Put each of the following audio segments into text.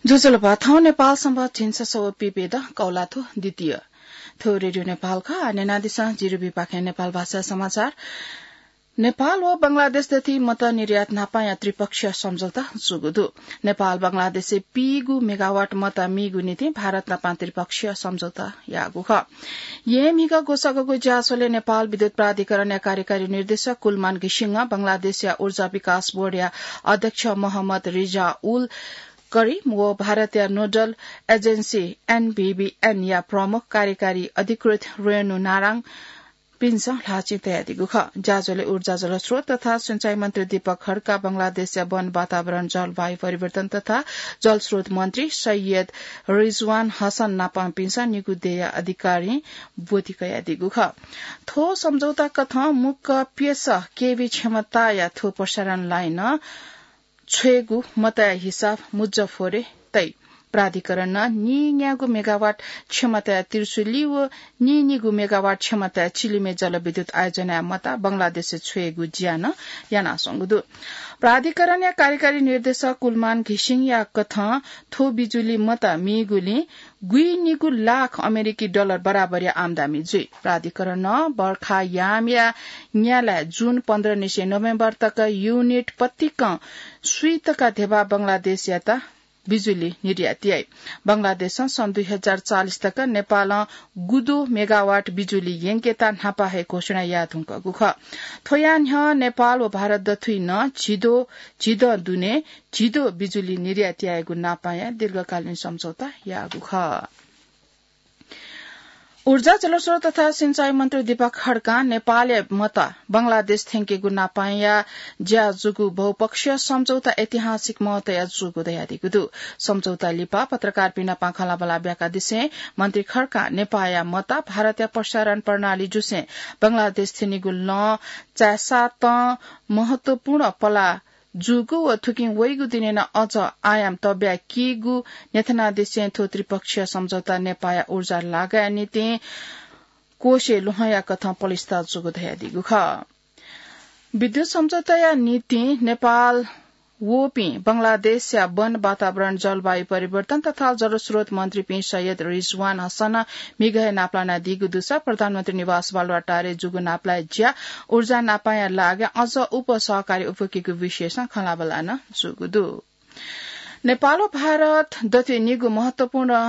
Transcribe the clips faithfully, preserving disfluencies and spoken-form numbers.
ज्वजलपा, थौं नेपाल संवत् झिंछसः व पीप्यदँ कौलाथ्व द्वितीय। थ्व रेडियो नेपाल खः। आः न्यनादिसँ जिरुबिपाखें नेपाल भाषा समाचार। नेपाल व बंगलादेश दथुइ मत निर्यात न्हापांया त्रिपक्षीय सम्झौता जूगु दु। नेपाल बंगलादेशय् पीगु मेगावाट मत मीगु निंतिं भारत नाप त्रिपक्षीय सम्झौता याःगु खः। येँ म्हिगः ग्वसाःगु ज्याझ्वलय् नेपाल विद्युत प्राधिकरणया कार्यकारी निर्देशक कुलमान घिसिङं बंगलादेशया ऊर्जा विकास बोर्डया अध्यक्ष मोहम्मद रिजाउल करिम व भारतया नोडल एजेन्सी एनबीबीएन या प्रमुख कार्यकारी अधिकृत रेणु नाराङ पिन्सं ल्हाःचिं तयादीगु खः। ज्याझ्वलय् ऊर्जा, जलस्रोत तथा सिंचाई मन्त्री दीपक खड्का, बंगलादेशया वन, वातावरण, जलवायु परिवर्तन तथा जलस्रोत मन्त्री सैयद रिजवान हसन नापं पिन्सं निगू देय्‌या अधिकारीं ब्वति कयादीगु खः। थ्व सम्झौता कथं मुक्क प्यसः केभी क्षमताया थ्व प्रसारण लाइन छ्वयेगु मतया हिसाब मुजफ्फरय् तइ। प्राधिकरणं नीन्यागू मेगावाट क्षमताया त्रिशुली व नीनिगू मेगावाट क्षमताया चिलिमय् जलविद्युत आयोजनाया मत बंगलादेशय् छ्वयेगु ज्या नं यानाच्वंगु दु। प्राधिकरणया कार्यकारी निर्देशक कुलमान घिसिङया कथं थ्व बिजुली मत मीगुलिं गुइनिगू लाख अमेरिकी डलर बराबरया आम्दानी जुइ। प्राधिकरणं बर्खा यामया न्यालाय् जुन पन्ध्र निसें नोभेम्बर तक युनिट पतिकं स्वीतका धेबा बंगलादेशयात बिजुली निर्यात याइ। बंगलादेशं सन् दुई हजार चालिस तक नेपालं गुदो मेगावाट बिजुली यंकेत न्हापा हे घोषणा याये धुंकूगु खः। थ्वया न्ह्यः नेपाल व भारत दथुइ नं झिदो, झिदँ दुने झिदो बिजुली निर्यात यायेगु नापांया दीर्घकालीन सम्झौता याःगु खः। ऊर्जा, जलस्रोत तथा सिंचाई मन्त्री दीपक खड्कां नेपालया मत बंगलादेश थ्यंकेगु नापांया ज्या जूगु बहुपक्षीय सम्झौता ऐतिहासिक महत्वया जूगु धयादीगु दु। सम्झौता लिपा पत्रकारपिं नाप खँल्हाबल्हा ब्याकादिसें मन्त्री खड्कां नेपाःया मत भारतया प्रसारण प्रणाली जुसें बंगलादेश थ्यनीगु लँ चाय्‌सातं महत्वपूर्ण पलाः जूगु व थुकिं वइगु दिनय् नं अझ आयाम तब्याकीगु न्ह्यथनादिसें थ्व त्रिपक्षीय सम्झौता नेपाःया ऊर्जा लागाया निंतिं कोषय् ल्वहंया कथं पलिस्था जूगु धयादीगु खः। विद्युत सम्झौताया निंतिं नेपाल वःपिं बंगलादेशया वन, वातावरण, जलवायु परिवर्तन तथा जलस्रोत मन्त्रीपिं सैयद रिजवान हसनं म्हिगः हे नापलानादीगु दुसा प्रधानमन्त्री निवास बालुवाटारय् जूगु नापलाये ज्या ऊर्जा नापांया लागां अझ उप सहकारी उपुकेगु विषयसं खँल्हाबल्हा नं जूगु दु। नेपाल व भारत दथुइ निगू महत्वपूर्ण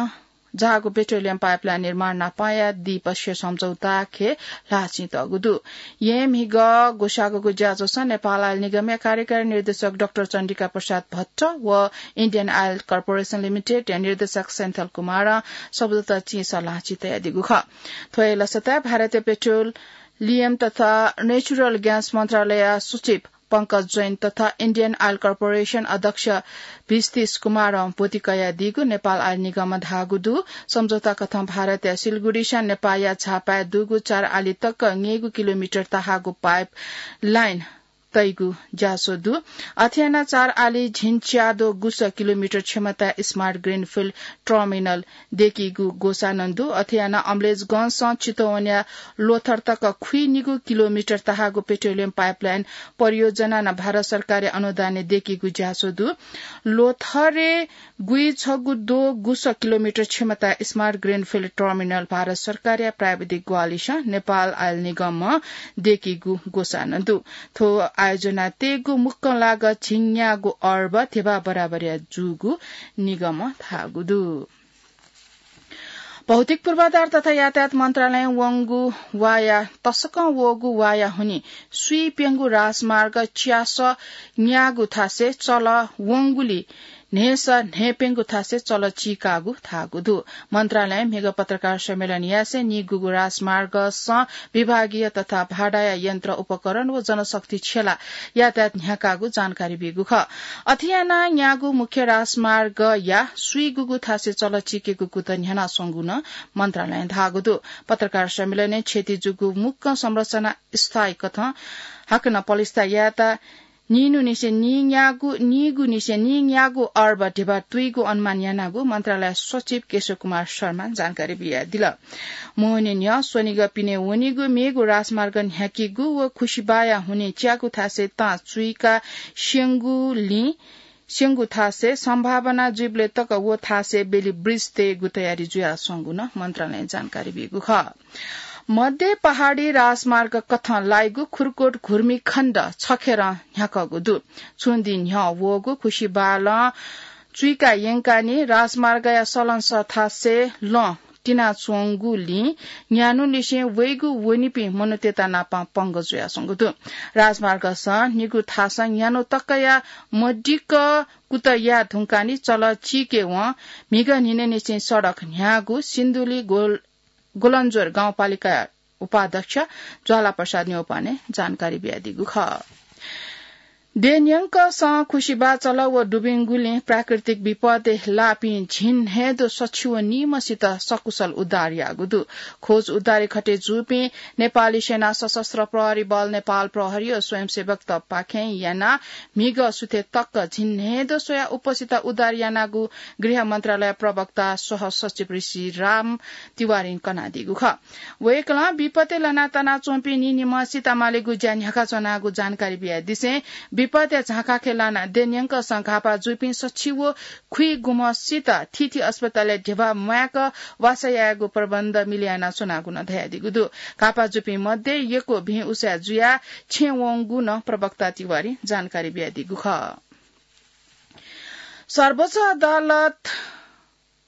झाःगु पेट्रोलियम पाइपलाइन निर्माण नापांया द्विपक्षीय सम्झौताखे ल्हाःचिं तःगु दु। येँ म्हिगः ग्वसाःगु ज्याझ्वलय् नेपाल आयल निगमया कार्यकारी निर्देशक डाक्टर चण्डिका प्रसाद भट्ट व इन्डियन आयल कर्पोरेसन लिमिटेडया निर्देशक सेन्थल कुमारं सम्झौता चिंसा ल्हाःचिं तयादीगु खः। थ्व हे लसताय् भारतीय पेट्रोलियम तथा नेचुरल ग्यास मन्त्रालयया सचिव पंकज जैन तथा इन्डियन आयल कर्पोरेसन अध्यक्ष भिस्तिस कुमारं ब्वति कयादीगु नेपाल आयल निगमं धाःगु दु। सम्झौता कथं भारतया सिलगुडीसं नेपाःया झापाय् दुगु चार आली तक न्यय्‌गू किलोमिटर तहाःगु पाइप लाइन तइगु ज्याझ्वः दु। अथे यानाः चार आली झिंच्याद्वः गुसः किलोमिटर क्षमताया स्मार्ट ग्रिनफिल्ड टर्मिनल दय्‌कीगु ग्वसाः नं दु। अथे यानाः अमलेखगंजसं चितवनया ल्वथर तक खुइनिगू किलोमिटर तहाःगु पेट्रोलियम पाइपलाइन परियोजना नं भारत सरकारया अनुदानय् दय्‌कीगु ज्याझ्वः दु। ल्वथरय् गुइछगू द्वः गुसः किलोमिटर क्षमताया स्मार्ट ग्रिनफिल्ड टर्मिनल भारत सरकारया प्राविधिक ग्वाहालिसं नेपाल आयल निगमं दय्‌कीगु ग्वसाः नं दु। थ्व आयोजना तयेगु मुक्कं लागत झिंन्यागू अर्ब धेबा बराबरया जूगु निगमं धाःगु दु। भौतिक पूर्वाधार तथा यातायात मन्त्रालयं वंगु वाया तसकं वःगु वाया हुनिं स्वीप्यंगु राजमार्ग च्यासः न्यागू थासय् चल वंगुलिं न्हय्‌सः न्हय्‌प्यंगू थासय् चल चीकागु धाःगु दु। मन्त्रालयं म्हिगः पत्रकार सम्मेलन यासें निगूगु राजमार्गसं विभागीय तथा भाडाया यन्त्र उपकरण व जनशक्ति छ्यलाः यातायात न्ह्याकागु जानकारी बीगु खः। अथे यानाः न्यागू मुख्य राजमार्गया स्वीगूगु थासय् चल चीकेगु कुतः न्ह्यानाच्वंगु नं मन्त्रालयं धाःगु दु। पत्रकार सम्मेलनय् क्षति जूगु मुक्कं संरचना स्थायी कथं हाकनं पलिस्था यायेत नीगू निसें नीन्यागू, नीगू निसें नीन्यागू अर्ब धेबा तुइगु अनुमान यानागु मन्त्रालय सचिव केशव कुमार शर्मां जानकारी बियादिल। मोहनी न्ह्यः स्वनिगः पिने वनीगु मेगु राजमार्ग न्ह्याकीगु व खुसिबाया हुनिं च्यागू थासय् तां चुइका स्यंगुलिं स्यंगु थासय् सम्भावना जुइबलय् तक व थासय् बेली ब्रिज तयेगु तयारी जुयाच्वंगु नं मन्त्रालयं जानकारी बीगु खः। मध्य पहाडी राजमार्ग कथं लाइगु खुरकोट घुर्मी खण्ड छखेरं न्ह्याकःगु दु। छुं दिं न्ह्यः वःगु खुसिबालं चुइका यंकानि राजमार्गया सलंसः थासय् लं तिनाच्वंगुलिं न्यान्हुलिसें वइगु वनीपिं मनूतय्त नापं पंगः जुयाच्वंगु दु। राजमार्गसं निगू थासं न्यान्हु तकया मदिक्क कुतः याये धुंकानि चलः चीके वं म्हिगः न्हिनय्निसें सडक न्ह्याःगु सिन्धुली गोल-, गोलन्जोर गाउँपालिकाया उपाध्यक्ष ज्वाला प्रसाद न्यौपाने जानकारी बियादीगु खः। देय् न्यंकं खुसिबा चलः व दुबिंगुलिं प्राकृतिक विपदय् लाःपिं झिंन्हय्दँ सछि व निम्हसित सकुशल उद्धार याःगु दु। खोज उद्धारय् खटे जूपिं नेपाली सेना, सशस्त्र प्रहरी बल, नेपाल प्रहरी व स्वयंसेवकतपाखें यानाः म्हिगः सुथय् तक झिंन्हय्दँ स्वयाः उपसित उद्धार यानागु गृह मन्त्रालय प्रवक्ता सह सचिव ऋषिराम तिवारीं कनादीगु खः। वय्कलं विपदय् लनातनाच्वंपिं निनिम्हसित मालेगु ज्या न्ह्याकाच्वनागु जानकारी बियादिसें विपदया झाँखाखय् लानाः देय् न्यंकं घाःपाः जूपिं सछि व खुइगुम्हसित थीथी अस्पतालय् ध्यबा म्वायेक वासः यायेगु प्रबन्ध मिले यानाच्वनागु नं धयादीगु दु। घाःपाः जूपिं मध्ये यक्व भिं उसाँय् जुयाः छेँ वंगु नं प्रवक्ता तिवारीं जानकारी बियादीगु खः। सर्वोच्च अदालत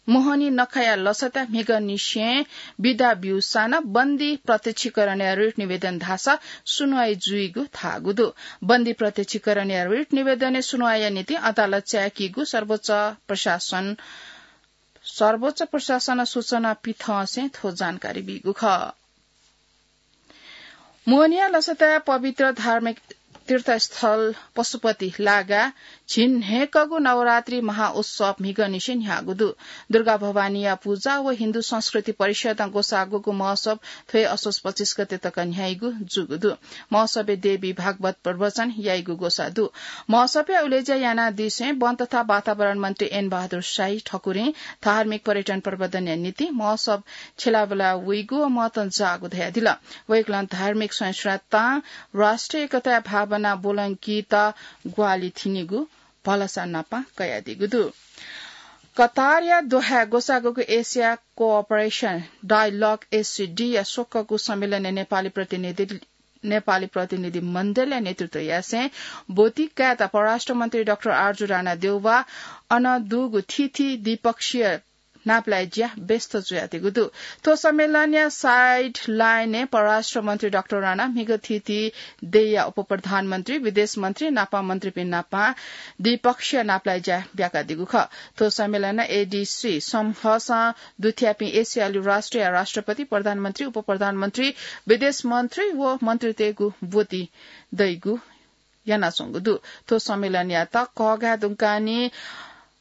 मोहनी नखःया लसताय् म्हिगःनिसें बिदा ब्यूसां नं बन्दी प्रत्यक्षीकरणया रिट निवेदन धाःसा सुनुवाइ जुइगु धाःगु दु। बन्दी प्रत्यक्षीकरणया रिट निवेदनय् सुनुवाइया निंतिं अदालत चाय्कीगु सर्वोच्च प्रशासन, सर्वोच्च प्रशासनं सूचना पिथंसें थ्व जानकारी बीगु खः। मोहनीया लसताय् पवित्र धार्मिक तीर्थस्थल पशुपति लागाय् झिंन्हय्कःगु नवरात्रि महाउत्सव म्हिगःनिसें न्ह्याःगु दु। दुर्गा भवानीया पूजा व हिन्दू संस्कृति परिषदं ग्वसाःगुगु महोत्सव थ्व हे असोज पच्चिस गते तक न्ह्याइगु जूगु दु। महोत्सवय् देवी भागवत प्रवचन याइगु ग्वसाः दु। महोत्सवय् उलेज्या यानादीसें वन तथा वातावरण मन्त्री एन बहादुर शाही ठकुरीं धार्मिक पर्यटन प्रवर्धनया निंतिं महोत्सव छ्यलाबुला वइगु व महत्व जाःगु धयादिल। वय्कलं धार्मिक सहिष्णुतां राष्ट्रिय एकताया भावना ब्वलंकीत ग्वाहालि थिनिगु भलसा नापं कयादीगु दु। कतारया दोहाय् ग्वसाःगुगु एसिया कोअपरेसन डायलग, एससिडी, या स्वकःगु सम्मेलनय् नेपाली प्रतिनिधि, नेपाली प्रतिनिधि मण्डलया नेतृत्व यासें ब्वति कायेत परराष्ट्र मन्त्री डाक्टर आरजु राणा देउवा अन दुगु थीथी द्विपक्षीय नापलाये ज्या व्यस्त जुयादीगु दु। थ्व सम्मेलनया साइड लाइनय् परराष्ट्र मन्त्री डाक्टर राणा म्हिगः थीथी देय्या उपप्रधानमन्त्री, विदेश मन्त्री नापं मन्त्रीपिं नापं द्विपक्षीय नापलाये ज्या ब्याकादीगु खः। थ्व सम्मेलनं एडीसी समूहसं दुथ्याःपिं एसियाली राष्ट्रया राष्ट्रपति, प्रधानमन्त्री, उपप्रधानमन्त्री, विदेश मन्त्री व मन्त्रीतय्गु ब्वति दइगु यानाच्वंगु दु। थ्व सम्मेलनयात कःघाये धुंकानि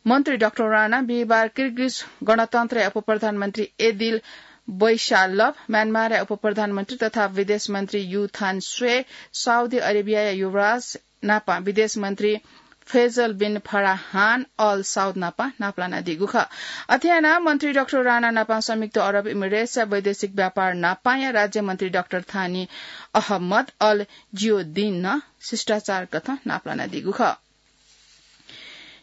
मन्त्री डाक्टर राणा बिहिबार किर्गिज गणतन्त्रया उपप्रधानमन्त्री एदिल बैशालभ, म्यानमारया उपप्रधानमन्त्री तथा विदेश मन्त्री यु थान स्वे, साउदी अरेबियाया युवराज नापं विदेश मन्त्री फैजल बिन फराहान अल साउद नापं नापलानादीगु खः। अथे यानाः मन्त्री डाक्टर राणा नापं संयुक्त अरब इमिरेट्सया वैदेशिक व्यापार नापांया राज्यमन्त्री डाक्टर थानी अहमद अल जियोदीन नं शिष्टाचार कथं नापलानादीगु खः।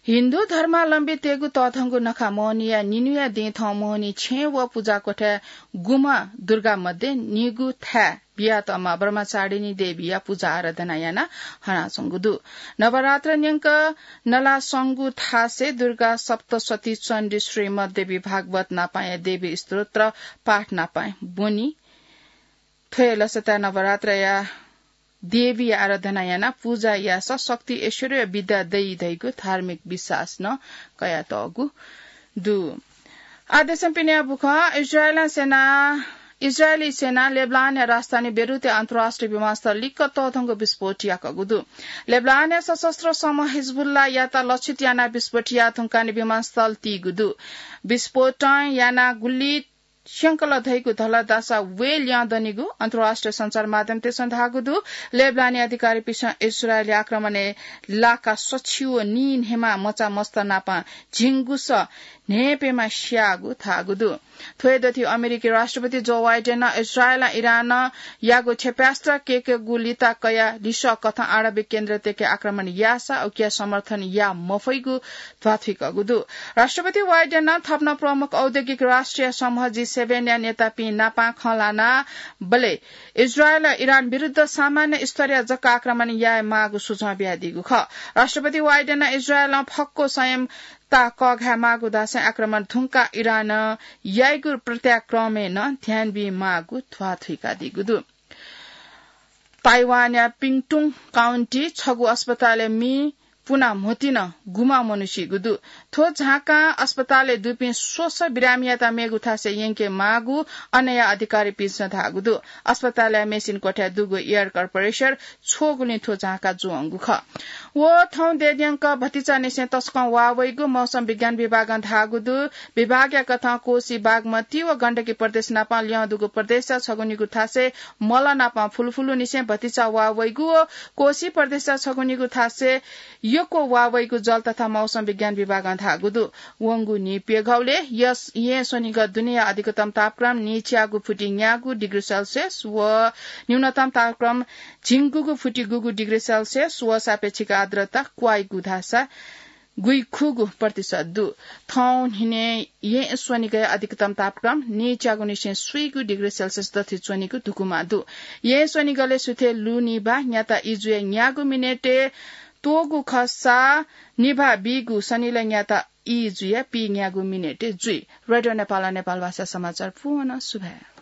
हिन्दू धर्मावलम्बीतय्गु तःधंगु नखः मोहनीया निन्हुया दिं थौं मोहनी छेँ व पुजाकोठाय् गुम्ह दुर्गा मध्ये निगू थाय् बियातःम्ह ब्रह्मचारिणी देवीया पुजा आराधना यानाः हनाच्वंगु दु। नवरात्र न्यंक नलास्वंगु थासय् दुर्गा सप्तशती चण्डी श्रीमद् देवी भागवत नापांया देवी स्तोत्र पाठ नापां ब्वनी। थ्व हे लसताय् नवरात्रया देवीया आराधना यानाः पुजा याःसा शक्ति ऐश्वर्य विद्या दइ धइगु धार्मिक विश्वास नं कयातःगु दु। आः देशं पिने बुखँ। इजरायली सेना, इजरायली सेनां लेबनानया राजधानी बेरुटय् अन्तर्राष्ट्रिय विमानस्थल लिक्क तःधंगु विस्फोट याकःगु दु। लेबनानया सशस्त्र समूह हिजबुल्लाहयात लक्षित यानाः विस्फोट याये धुंकाः विमानस्थल तीगु दु। विस्फोटं यानाः गुलि स्यंकल धइगु धलदासा वये ल्यं दनिगु अन्तर्राष्ट्रिय सञ्चार माध्यमतय्सं धाःगु दु। लेबनानी अधिकारीपिसं इस्रायली आक्रमणय् लाका सछि व नी न्हेमा मचा मस्त नाप झिंगुस न्हेप्यमा स्याःगु धाःगु दु। थ्व हे दथि अमेरिकी राष्ट्रपति जो वाइडेनं इस्रायलं इरानयागु क्षेपणास्त्र केकेगु लिता कयाः लिसः कथं आणविक केन्द्रतय्के आक्रमण याःसा उकिया समर्थन या मफइगु ध्वाथुइकःगु दु। राष्ट्रपति वाइडेनं थप नं प्रमुख औद्योगिक राष्ट्रिय समूह जी सेभेनया नेतापिं नापां खँ ल्हानाबलय् इस्रायलं इरान विरुद्ध सामान्य स्तरया जक आक्रमण याये माःगु सुझाव बियादीगु खः। राष्ट्रपति वाइडेनं इस्रायलं फक्व संयमता कःघाये माःगु धासें आक्रमण धुंकाः इरानं याइगु प्रत्याक्रमय् नं ध्यान बी माःगु ध्वाथुइकादीगु दु। ताइवानया पिङटुङ काउन्टी छगू अस्पतालय् मि पुना म्होतिं गुम्ह मनू सीगु दु। थ्व झाँकां अस्पतालय् दुपिं स्वसः बिरामीयात मेगु थासय् यंके माःगु अनया अधिकारीपिन्सं धाःगु दु। अस्पतालया मेसिन कोठाय् दुगु एयर कम्प्रेसर छ्वःगुलिं थ्व झाँका जुवंगु खः। व थौं देद्यंक भतिचानिसें तसकं वाः वइगु मौसम विज्ञान विभागं धाःगु दु। विभागया कथं कोसी, बागमती व गण्डकी प्रदेश नाप ल्यं दुगु प्रदेशया छगू निगू थासय् मल नाप फुलफुलुनिसें भतिचा वाः वइगु व कोसी प्रदेशया छगू निगू थासय् यक्व वाः वइगु जल तथा मौसम विज्ञान विभागं धाःगु दु। वंगु नीप्यघौलय् यस-, यें स्वनिगः दुनेया अधिकतम तापक्रम नीच्यागु फुति न्यागू डिग्री सेल्सियस व न्यूनतम तापक्रम झिंगुगु फुति गुगु डिग्री सेल्सियस व सापेक्षिक आर्द्रता क्वाइगु धासा गुइखुगू प्रतिशत दु। थौं न्हिनय् यें स्वनिगःया अधिकतम तापक्रम नीच्यागुनिसें स्वीगू डिग्री सेल्सियस दथि च्वनीगु धुकुमा दु। यें स्वनिगलय् सुथय् लु निभाः न्याता ई जुया न्यागू मिनेटय् त्वःगु खःसा निभाः बीगु सनिलय् न्याता ई जुया पीन्यागू मिनेटय् जुइ। रेडियो नेपाल, नेपाल भाषा समाचार पूवं सुभाय्।